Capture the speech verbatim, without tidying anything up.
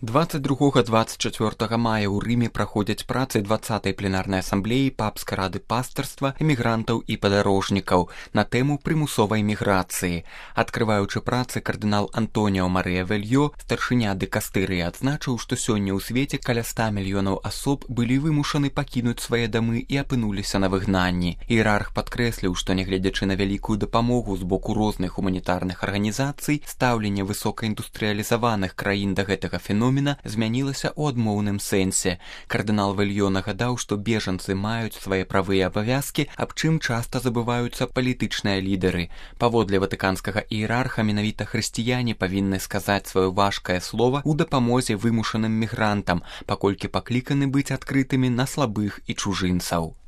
двадцать другога - двадцать чацвёртага мая ў Рыме праходзяць працы дваццатай пленарнай асамблеі папскай рады пастырства, эмігрантаў і падарожнікаў на тэму прымусовай міграцыі. Адкрываючы працы, кардынал Антоніо Марыя Вельё, старшыня дыкастырыі, адзначыў, што сёння ў свеце каля ста мільёнаў асоб былі вымушаны пакінуць свае дамы і апынуліся на выгнанні. Іерарх падкрэсліў, што нягледзячы на вялікую дапамогу з боку розных гуманітарных арганізацый, стаўленне высокаіндустрыялізаваных краін да гэтага феномена змянілася ў адмоўным сэнсе. Кардынал Вельё нагадаў, што бежанцы маюць свае правы і абавязкі, аб чым часта забываюцца палітычныя лідары. Паводле ватыканскага іерарха менавіта хрысціяне павінны сказаць сваё важкае слова ў дапамозе вымушаным мігрантам, паколькі пакліканы быць адкрытымі на слабых і чужынцаў.